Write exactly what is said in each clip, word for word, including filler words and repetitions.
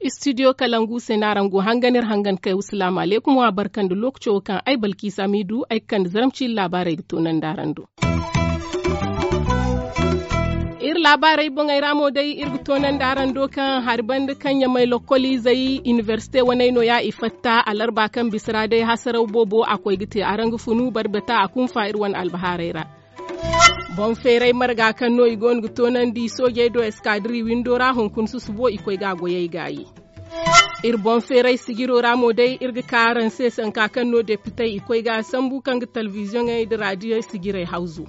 Istidiyo kalangu se no araŋ go hangan iri hangan kay wasalaamu alaykum wa barka nda lookaco wo kaŋ ay balkiisa m'i du ay ga kande zaramci iri laabaarey ga toonandi araŋ do. Iri laabaarey boŋey ra mo day iri ga toonandi araŋ do kaŋ hari banda kaŋ ɲamay lokkoliizey inibersite waney nooya i fatta alarba kaŋ bisa ra day hasaraw boobo a koy ga te araŋ ga funu barbata a kunfa iri wane albahaarey ra. Boŋ feeray marga kaŋ no i goono ga toonandi soojey do eskadiri windo ra hunkuna susubo i koy ga a goyey gaayi. Iri boŋ feeray sijiro ra mo day iri ga ka araŋ se sanka kaŋ no depitey i koy ga a sambu kaŋ ga talbiziyoŋey nda raadiyey sijirey hawzu.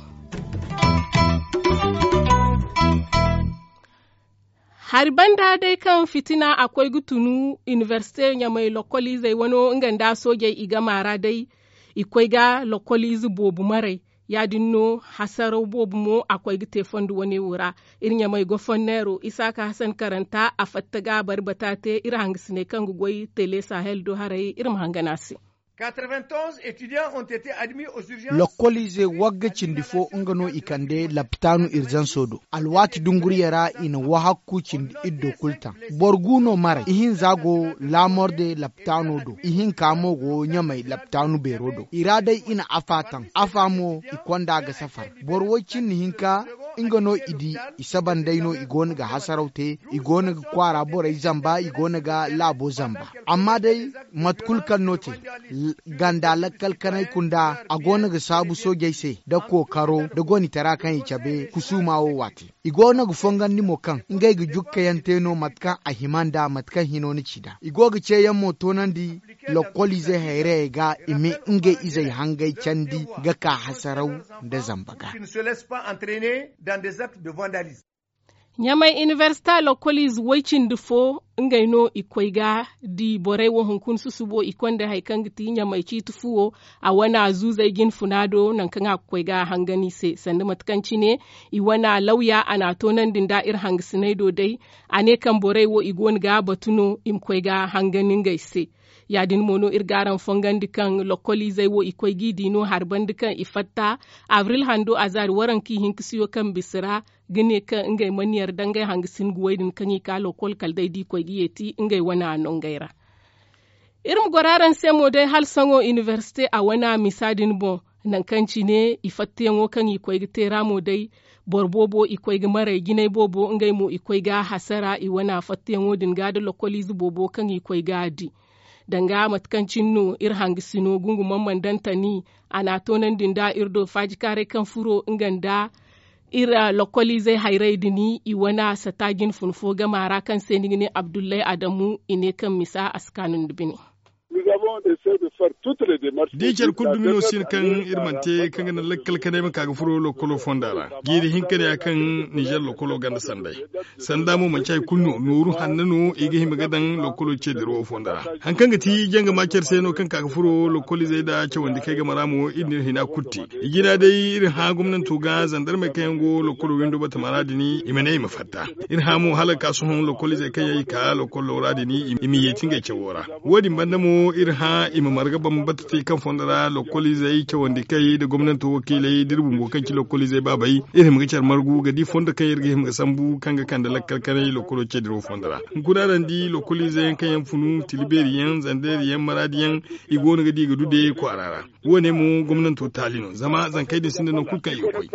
Hari banda day kaŋ fitina a koy ga tunu inibersite ɲamay lokkoliizey wano nga nda soojey i gama ra day i koy ga lokkoliize boobo maray. Ya- din no hasaraw boobo mo a koy ga te fondo wane wo ra. Iri ɲamay goforneero isaaka hasan karanta a fatta ga bari bata te iri hangasiney kaŋ ga goy tele sahel do haray iri ma hangan a se. Lokkoliize wagga cindi fo nga no i kande lapitaanu irzanso do alwaati dunguriya ra i na wahakku cindi iddo kulu taŋ. Boro gu no maray ihinza go laamorde lapitaano do ihinka mo go ɲamay lapitaanu beero do i ra day i na afa taŋ afa mo i konda ga safar. Boro woy cindi hinka nga no i di i saba nd'ey no i goono ga hasaraw te i goono ga kwaara borey zamba i goono ga laabo zamba. Amma day mate kulu kaŋ no te ganda lakkal kanay kunda a goono ga saabu soojey se nda kookaro nda gonitara kaŋ i cabe kusuuma wo waate. I goono ga fongandi mo kaŋ ngey ga jukkayaŋ te no mate kaŋ a hima nd'a mate kaŋ hino na ci nd'a i go ga ceeyaŋ mo toonandi lokkoliizey hayrayey ga i ma ngey izey hangay candi ga ka hasaraw nda zamba ga. Ɲamay inibersita lokkoliize woy cindi fo ngey no i koy ga di borey wo hunkuna susubo i konda hari kaŋ ga ti ɲamay ciiti fuwo a wane zuuzey jinfuna do nangu kaŋ a ga koy ga hangan i se sanda mate kaŋ cine i wane lawya a n'a toonandi nda iri hangasiney do day. A ne kaŋ borey wo i goono ga batu no i ma koy ga hangan ngey se. Ya- din mo no iri ga araŋ fongandi kaŋ lokkoliizey wo i koy g'i di no hari banda kaŋ i fatta abril hando azaari waranka ihinkasiyo kaŋ bisa ra ga ne kaŋ ngey mana yar dangay hangasin guwey din kaŋ i ka lokkol kala day da i koy ga yeeti ngey wane nongey ra. Iri ma goro araŋ se mo day hala sohõ inibersite a wane misa din boŋ nangu kaŋ cine i fattayaŋo kaŋ i koy ga te ra mo day boro boobo i koy ga maray jinay boobo ngey mo i koy ga hasara i wane fattayaŋo din ga nda lokkoliize boobo kaŋ i koy ga di. Danga mate kaŋ cine no iri hangasino gungumaŋ mana daŋ tani a n'a toonandi nda iri do faajikaaray kaŋ furo nga nda iri lokkoliizey hayrey din i wane sata jinfun fo gama ra kaŋ se ni ga ne abdullay adamu i ne kaŋ misa a si kaanu nda bine. Da i care kulu dumi no si no kaŋ iri mana te kaŋ ga naŋ lakkal kanay ma ka ga furo lokkolo fonda ra jiiri hinka ne ya kaŋ nizer lokkolo ganda sanday. Sanda mo manci hari kulu no nooru hanno no i ga hima ga daŋ lokkolo ce dirawo fonda ra. Hari kaŋ ga ti janga ma care se no kaŋ ka ga furo lokkoliizey nda cawandi kay game ra mo iri n'iri hina kulu te. I jina day iri hã gomnanto ga zandarmey kaŋ yaŋ go lokkolo windo batama ra din i ma ne i ma fatta. Iri hã mo hala ga ka sohõ lokkoliizey kaŋ yaŋ i ka lokkolo ra din i ma yeeti ngey cawo ra. Wo- din banda mo iri hã i ma marga bambata te kaŋ fondo ra lokkoliizey cawandi kay nda gomnanto wakiiley da iri bumbo kaŋ ci lokkoliizey baabey iri hima ga care margu ga di fondo kaŋ iri ga hima ga sambu kaŋ ga kande lakkal kanay lokkolo ce dirawo fondo ra. Hunkuna araŋ di lokkoliizey yaŋ kaŋ yaŋ funu tilibeeri yaŋ zandeeri yaŋ maraadi yaŋ i go no ga di ga du de kwaara ra. Wo- ne mo gomnanto taali no zama zankey din sinda nangu kulu kaŋ i ga koy.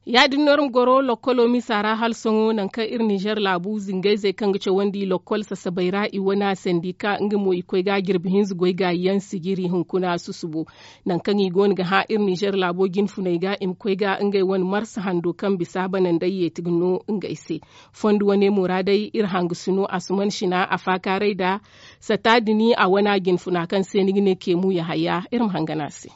Ya- din no iri ma goro lokkolo misa ra hala sohõ nangu kaŋ iri nizer laabu zingayzey kaŋ ga cawandi lokkol sasabey ra i wane sandika nga mo i koy ga jirbi hinza goy gaayi yaŋ sijiri hunkuna susubo. Nangu kaŋ i go no ga hã iri nizer laabo jinfuney ga i ma koy ga ngey wane marsa hando kaŋ bisa banandey yeeti ga no ngey se. Fondo wane mo ra day iri hangasino asuman sina a faakaaray nda sata din a wane jinfuna kaŋ se ni ga ne keemu yahaya iri ma hangan a se.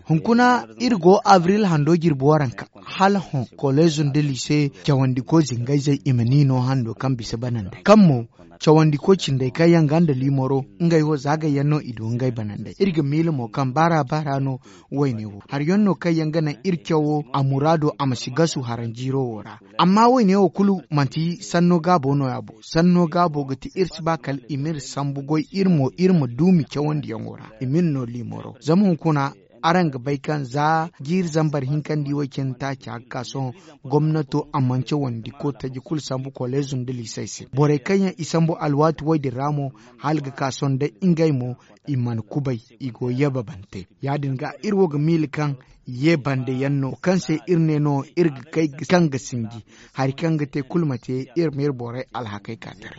Hunkuna iri go abril hando. jirbi waranka hala hõ koleezo nda liise cawandiko zingayzey i ma ni no hando kaŋ bisa banandey kaŋ mo cawandiko cindey kaŋ yaŋ ga nda liimoro ngey wo zaagay yaŋ no i du ngey banandey iri ga miila mo kaŋ baara baara no. Wayne wo hari yaŋ no kaŋ yaŋ ga naŋ iri cawo a muraado a ma si gasu haranjiiro wo ra. Amma wayne wo kulu manti sanno gaabo no- ya bo sanno gaabo ga ti iri si ba kala i m'iri sambu goy iri mo iri ma duumi cawandiyaŋo ra i m'iri no liimoro zama hunkuna araŋ ga bay kaŋ za jiiri zambar hinkandi way cine taaci a ga ka sohõ gomnato a mana cawandi ko taji kulu sambu koleezo nda liisey se borey kaŋ yaŋ i sambu alwaati way din ra mo hala ga ka sohõ day ngey mo i mana kubay i go yababante. Ya- din ga iri wo ga miila kaŋ ye bande yaŋ no kaŋ se iri ne no iri ga kay kaŋ ga sinji hari kaŋ ga te kulu ma te iri ma iri borey alhakey ka taray.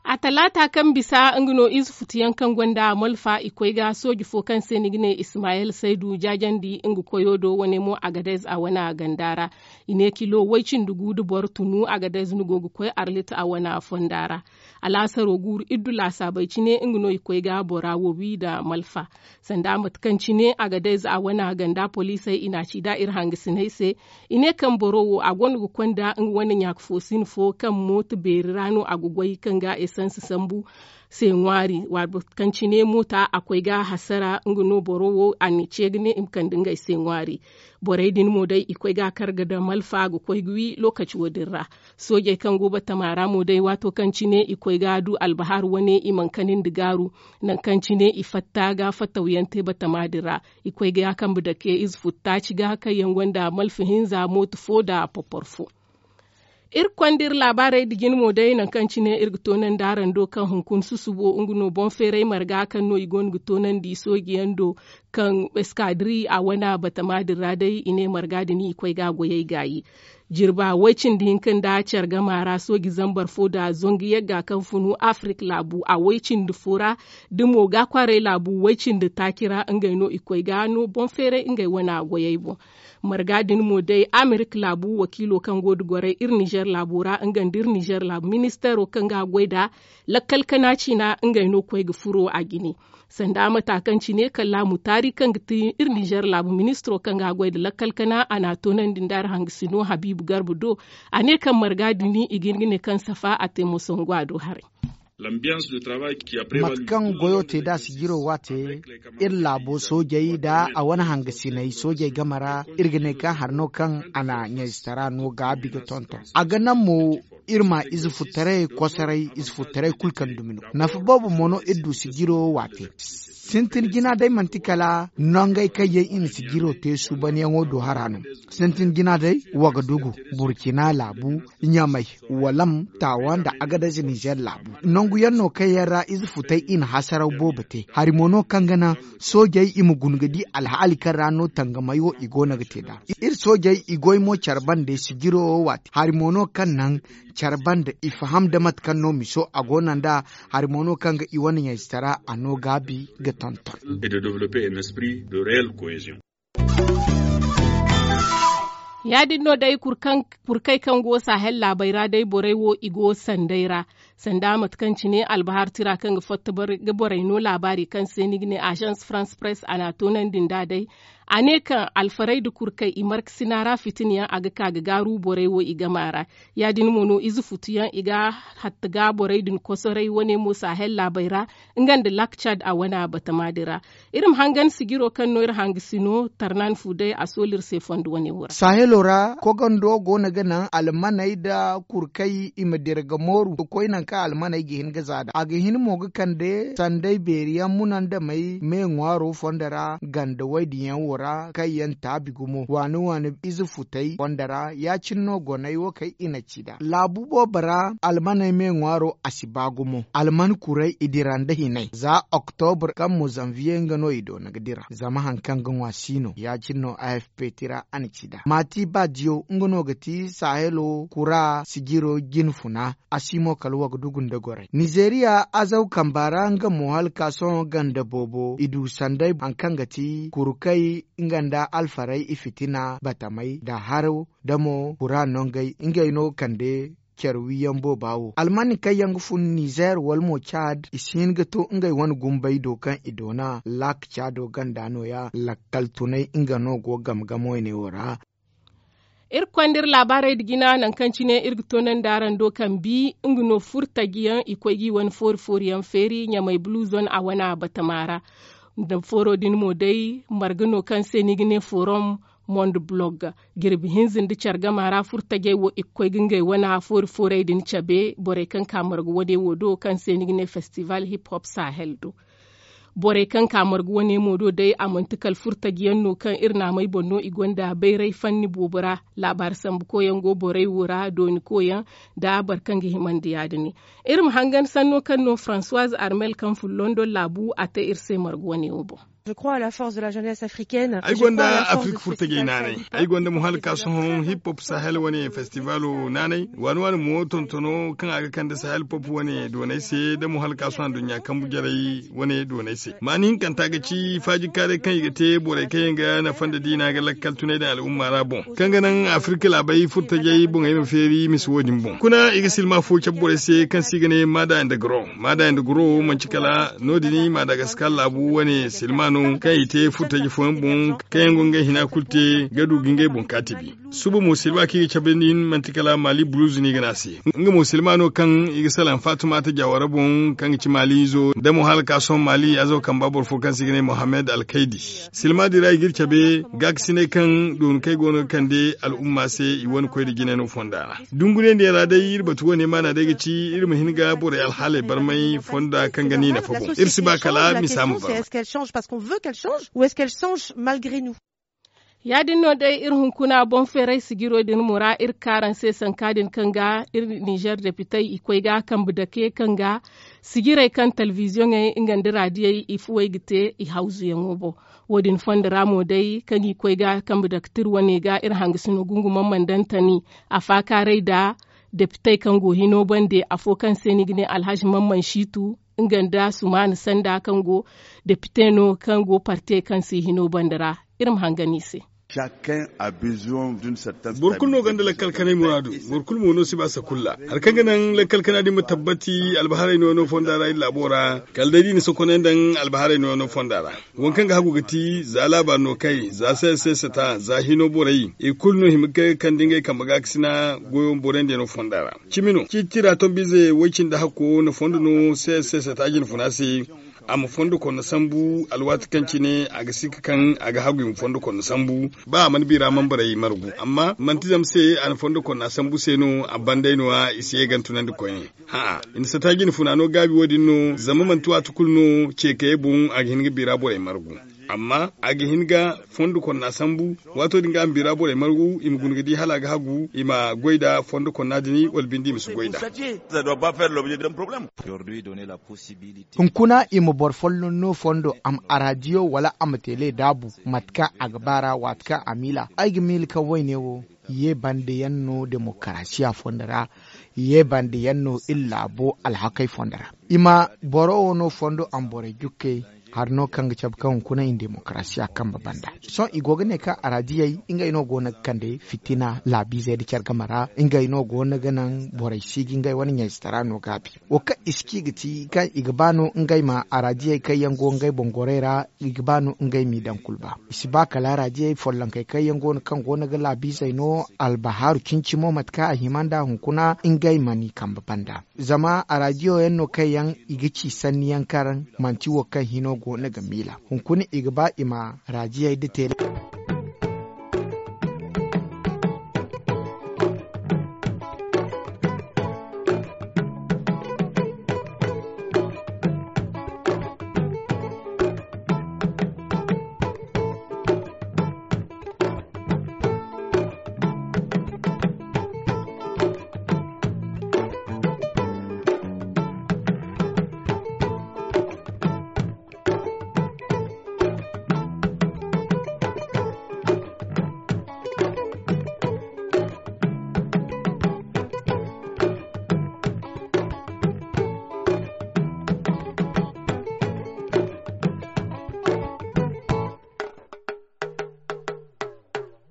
A talaata kaŋ bisa nga no ize futuyaŋ kaŋ gonda malfa i koy ga sooji fo kaŋ se ni ga ne ismayel saydu jaajandi nga koyo do wane mo agadez a wane a ganda ra. I ne kilo way cindi gu nda boro tunu agadez ni go ga koy arlit a wane a fonda ra. Alaasaro guuru iddu laasaabey cine nga no i koy ga bora wo wi nda malfa. Sanda mate kaŋ cine agadez a wane a ganda poliisey i n'a ci nd'a iri hangasiney se. I ne kaŋ boro wo a gonda ga konda nga wane ɲaaka fo sin fo kaŋ mooto beeri ra no a ga goy kaŋ ga esans sambu se ŋwaari. Waati kaŋ cine moota a koy ga hasara nga no boro wo a n'i ce ga ne i ma kande ngey se ŋwaari. Borey din mo day i koy ga a kar ga daŋ malfa ga koy ga wi lookaci wo- din ra. Soojey kaŋ go batama ra mo day waato kaŋ cine i koy ga a du albahar wane i mana kanandi gaaru. Nangu kaŋ cine i fatta ga fattawyaŋ te batama din ra. I koy ga ya kambe dake ize futta ci ga kaŋ yaŋ gonda malfa hinza mooto fo nda popor fo. Iri konda iri laabaarey nda jine mo day nangu kaŋ cine iri ga toonandi araŋ do kaŋ hunkuna susubo nga no boŋ feeray marga kaŋ no i goono ga toonandi sooji yaŋ do. Kaŋ eskadiri a wane batama din ra day i ne marga din i koy ga a goyey gaayi. Jirba way cindi hinka nda care gama ra sooji zambar fo nda zangu yagga kaŋ funu afirik laabu a way cindi fo ra. Da mo ga kwaaray laabu way cindi taaci ra ngey no i koy ga no boŋ feeray ngey wane a goyey boŋ. Marga din mo day amerik laabu wakiilo kaŋ go nda goray iri nizer laabo ra nga nda iri nizer laabu ministeero kaŋ ga a goy nd'a lakkal kana ciina ngey no koy ga furo a jine. Sanda mata kaŋ cine kallaamu taari kaŋ ga ti iri nizer laabu ministiro kaŋ ga a goy nda lakkal kana a n'a toonandi nda iri hangasino habiibu garba do. A ne kaŋ marga din i ga hin ga ne kaŋ safa a te mo sangu a do haray. Mate kaŋ goyo te nd'a sijiro waate iri laabo soojey nda a wane hangasiney soojey game ra iri ga ne kaŋ hari no kaŋ a na ɲayzitara no gaabi ga tonton a ga naŋ mo. Iri ma ize futtaray kosoray ize futtaray kulu kaŋ dumi no nafa boobo mo no iri du sijiro waate. Sintin jina day manti kala nongey kaŋ yaŋ i na sijiro te suubanyaŋo do hara no. Sintin jina day wagadugu burkina laabu ɲamay walam taawa nda agadez nizer laabu. Nangu yaŋ no kaŋ yaŋ ra ize futay i na hasaraw boobo te hari mo no kaŋ ga naŋ soojey i ma guna ga di alhaali kaŋ ra no tangamay wo i go no ga te nd'a. Iri soojey i goy mo care bande sijiro wo waati hari mo no kaŋ naŋ care bande i faham nda mate kaŋ no miso a go no nd'a. Hari mo no kaŋ ga i wane ɲayzitara a no gaabi ga tonton. Ya- din no day kurkey kaŋ go sahel laabey ra day borey wo i go sanday ra. Sanda mate kaŋ cine albahar tira kaŋ ga fatta ga borey no laabaari kaŋ se ni ga ne agence france press a n'a toonandi nd'a day. A ne kaŋ alfarey nda kurkey i markasina ra fitina yaŋ a ga ka ga gaaru borey wo i gama ra. Ya- din mo no ize futu yaŋ i ga hatta ga borey din kosoray wane mo sahel laabey ra nga nda lak cad a wane batama din ra. Iri ma hangan sijiro kaŋ no iri hangasino tarnan fu day a sooli iri se fondo wane wo ra. Sahelo ra kogando go no ga naŋ almaney nda kurkey i ma dira ga mooru ga koy nangu kaŋ almaney ga hin ga za nd'a a ga hin mo ga kande sanday beeri yaŋ munandamey me ŋwaaro fondo ra ganda way din yaŋ wo ra kaŋ yaŋ taabi gumo waani waani ize futay fondo ra ya- cine no goney wo kaŋ i na ci nd'a laabu boobo ra almaney me ŋwaaro a si ba gumo alman kuray i dira nda hinay za oktobur kaŋ mo zanviye nga no i doona ga dira zama hari kaŋ ga ŋwa si no ya- cine no afp tira a na ci nd'a maati ba diyo nga no ga ti sahelo kura sijiro jine funa. A si mo kala wa ga dugu nda goray nizeeriya azaw kamba ra nga mo hala ka sohõ ganda boobo i du sanday hari kaŋ ga ti kurukay nga nda alfarey i fitina batamey nda haro nda mo kura nongey ngey no kande. care wiyaŋ booba wo almani kaŋ yaŋ ga fun nizer wala mo caad i si hin ga to ngey wane gumbey do kaŋ i doona laak caado ganda nooya lakkal tunay nga no go game game wayne wo ra. Iri ga konda iri laabaarey nda jina nangu kaŋ cine iri ga toonandi araŋ do kaŋ bi nga no furtaji yaŋ i koy ga i wane foori foori yaŋ feeri ɲamay bulu zone a wane a batama ra. Nda fooro din mo day marga no kaŋ se ni ga ne forum monde blog jirbi hinza nda care gama ra furtajey wo i ga koy ga ngey wane foori foorey din cabe borey kaŋ ka marga wane wo do kaŋ se ni ga ne festival hip hop sahel do. Borey kaŋ ka marga wane mo do day a manti kala furtaji yaŋ no kaŋ iri naamey boŋ no i gonda bayray fanni boobo ra. Laabaari sambu koyaŋ go borey wo ra dooni koyaŋ nda boro kaŋ ga himandi ya- din. Iri ma hangan sanno kaŋ no françoise armel kaŋ fun london laabu a te iri se marga wane wo boŋ. Ay gonda afirka furtajey naanay. Ay gonda mo hala ka sohõ hip hop sahel wane festivalo naanay waani waani mo tontono kaŋ a ga kande sahel pop wane doonay se da mo hala ka sohõ aduɲɲa kambu jarey wane doonay se maani hinkanta ga ci faajikaaray kaŋ i ga te borey kaŋ yaŋ ga nafa nda diina ga lakkal tunay daŋ al'umma ra boŋ kaŋ ga naŋ afirka laabey furtajey boŋey ma feeri misa wo- din boŋ kuna i ga silma fo cabe borey se kaŋ se i ga ne maada nda garo. Maada nda garo manci kala no- din madagaskar laabu wane silma no kaŋ i te furtaji fooyaŋ boŋ kaŋ yaŋ go ngey hina kulu te ga du ga ngey boŋ kaatibi. Suba mo silma kaŋ i ga cabe nin manti kala mali buluzu no i ga ne a se. Nga mo silma no kaŋ i ga salaŋ fatumata jawara boŋ kaŋ ga ci mali izo da mo hala ka sohõ mali azo kamba boro fo kaŋ se i ga ne mohammed alkaydi. Silma din ra i ga iri cabe gaakasinay kaŋ dooni kaŋ ay go no ga kande al'umma se i wane koy nda jinay no fonda ra. Dunguray nda yaŋ ra day iri batu wane maana day ga ci iri ma hin ga borey alhaaley barmay fonda kaŋ ga ni nafa boŋ iri si ba kala misa ma barmay. Ya- din no day iri hunkuna boŋ feeray sijiro din mo ra iri ga ka araŋ se sanka din kaŋ ga iri nizer depitey i koy ga kambe dake kaŋ ga sijirey kaŋ telebiziyoŋey nga nda raadiyey i fuwey ga te i hawzuyaŋo boŋ. Wo- din fondo ra mo day kaŋ i koy ga kambe daktir wane ga iri hangasino gungumaŋ mana daŋ tani a faakaaray nda depitey kaŋ go hino bande afo kaŋ se ni ga ne alhazi mamman shiitu nga nda sumaana sanda kaŋ go depite no kaŋ go partey kaŋ se hino bande ra. Iri ma hangan i se. Boro kulu no gonda lakkal kanay muraadu. Boro kulu mo no si ba sakulla hari kaŋ ga naŋ lakkal kana din ma tabbati albaharay no no fonda ra iri laabo ra kala day da i na sokonay nda albaharay no no fonda ra. Waŋ kaŋ ga hagu ga ti za laabaari no kay za sss ta za hino borey i kulu no hima ga kande ngey kambe ga ga sina goyo borey nda yaŋ no fonda ra. Cimi no ciiti tira tombize way- cindi hakko na fondo no sss ta jinfuna se. A ma fondo konna sambu alwaati kaŋ cine a ga sikka kaŋ a ga hagu i ma fondo konna sambu. Ba a mana biira manbarey margu amma manti zama se a na fondo konna sambu se no a bandey no- ya i si ye gantunandi koyne. Hã'a i na sata jinfuna no gaabi wo- din no zama manti waati kulu no ceekayey boŋ a ga hin ga biira borey margu. Amma a ga hin ga fondo konna sambu waato din ga a ma biira borey margu i ma guna ga di hala a ga hagu i ma goy nda fondo konna din wala binde i ma si goy nda. Hunkuna i ma boro folloŋ no fondo a ma araadiyo wala a ma teele daabu mate kaŋ a ga ba ra waati kaŋ a miila ay ga miila kaŋ wayne wo ye bande yaŋ no demokarasiya fondo ra. Ye bande yaŋ no iri laabo alhakey fondo ra. I ma boro wo no fondo a ma borey jukkey hari no kaŋ ga cabe kaŋ hunkuna i na demokarasiya kambe banda. Sohõ i go ga ne kaŋ araadiyey ngey no go no ga kande fitina laabiizey nda care game ra. Ngey no go no ga naŋ borey si ga ngey wane ɲaysitara no gaabi. Wo kaŋ i si ci ga ti kaŋ i ga ba no ngey ma araadiyey kaŋ yaŋ go ngey boŋ gorey ra i ga ba no ngey m'i daŋ kulu ba. I si ba kala araadiyey follonkey kaŋ yaŋ go no kaŋ go no ga laabiizey no albahaaru cimi-cimo mate kaŋ a hima nd'a hunkuna ngey ma n'i kambe banda. Zama araadiyo yaŋ no kaŋ yaŋ i ga ci sanni yaŋ kaŋ manti wo kaŋ hino go no ga miila hunkuna i ga ba i ma araadiyey nda teele.